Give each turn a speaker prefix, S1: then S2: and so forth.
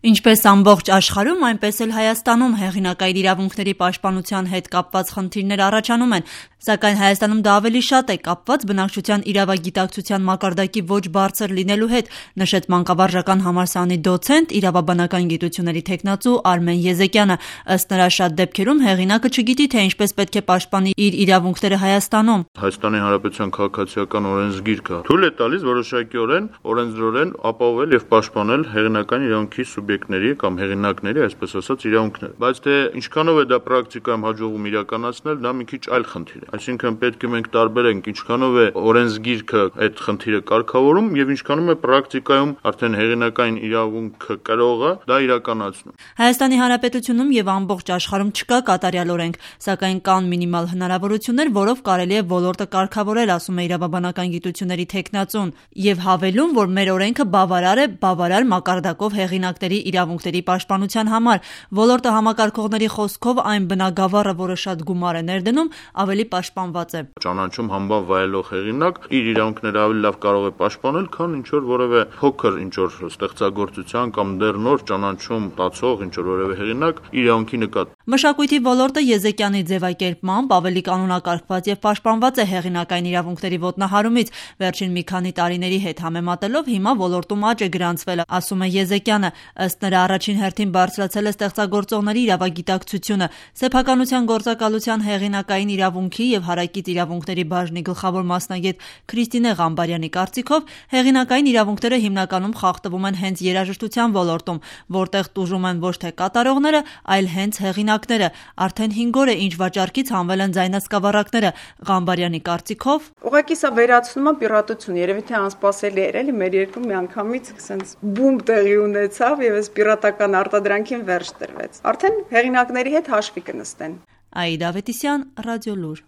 S1: Ինչպես ամբողջ աշխարհում, այնպես էլ Հայաստանում հեղինակային իրավունքների պաշտպանության հետ կապված խնդիրներ առաջանում են, սակայն Հայաստանում դա ավելի շատ է կապված բնակչության իրավագիտակցության մակարդակի ոչ բարձր լինելու հետ, նշեց մանկավարժական համալսարանի դոցենտ, իրավաբանական գիտությունների թեկնածու Արմեն Եզեկյանը։ Ըստ նրա, շատ դեպքերում հեղինակը չգիտի, թե ինչպես պետք է պաշտպանի իր իրավունքները Հայաստանում։
S2: Հայաստանի Հանրապետության քաղաքացիական օրենսգիրքը թույլ է տալիս որոշակիորեն օրենսդրորեն ապահովել եւ պաշտպանել հեղինակային իրավունքի սուբյեկտների կամ հեղինակների, այսպես ասած, իրավունքները, բայց թե ինչքանով է դա պրակտիկայում հաջողվում իրականացնել, դա մի քիչ այլ խնդիր է։ Այսինքն պետք է մենք տարբերենք ինչքանով է օրենսգիրքը այդ խնդիրը կարգավորում եւ ինչքանում է պրակտիկայում արդեն հեղինակային իրավունքը կրողը դա իրականացնում։
S1: Հայաստանի Հանրապետությունում եւ ամբողջ աշխարհում չկա կատարյալ օրենք, սակայն կան մինիմալ հնարավորություններ, որով կարելի է ոլորտը կարգավորել, ասում է իրավաբանական գիտությունների թեկնածուն, եւ հավելում, որ մեր օրենքը բավարար է բավարար մակարդակով հեղինակների իրավունքների պաշտպանության համար։ Ոլորտը համակարգողների խոսքով այն բնագավառը, որը շատ գումար է ներդնում, ավելի պաշտպանված է։
S2: Ճանաչում համբավ վայելող հեղինակ իր իրավունքները ավելի լավ կարող է պաշտպանել, քան ինչ որ որևէ փոքր ինչ որ ստեղծագործության կամ դեռ նոր ճանաչում ստացող ինչ որ որևէ հեղինակ իրավունքի նկատմամբ։
S1: Մշակույթի ոլորտը Եզեկյանի ձևակերպմամբ ավելի կանոնակարգված եւ պաշտպանված է հեղինակային իրավունքների ոտնահարումից։ Վերջին մի քանի տարիների հետ համեմատելով հիմա ոլորտում աճ է գրանցվել, ասում է Եզեկյանը։ Ըստ նրա, առաջին հերթին բարձրացել է ստեղծագործողների իրավագիտակցությունը։ Սեփականության գործակալության հեղինակային իրավունքի եւ հարակից իրավունքների բաժնի գլխավոր մասնագետ Քրիստինե Ղամբարյանի կարծիքով հեղինակային իրավունքները հիմնականում խախտվում են հենց երաժշտության ոլորտում, որտեղ տուժում են ոչ թե կատարողները, այլ հենց հեղինակները։ Արդեն 5 օր է, ինչ վաճառքից հանվել են ձայնասկավառակները։ Ղամբարյանի կարծիքով
S3: ուղղակի սա վերացնում է պիրատություն, երևի թե անսպասելի էր, էլի մեր երկրում միանգամից sense բում տեղի ունեցավ եւ այս պիրատական արտադրանքին վերջ տրվեց։ Արդեն հեղինակների հետ հաշվի կնստեն։
S1: Աիդա Ավետիսյան, Ռադիոլուր։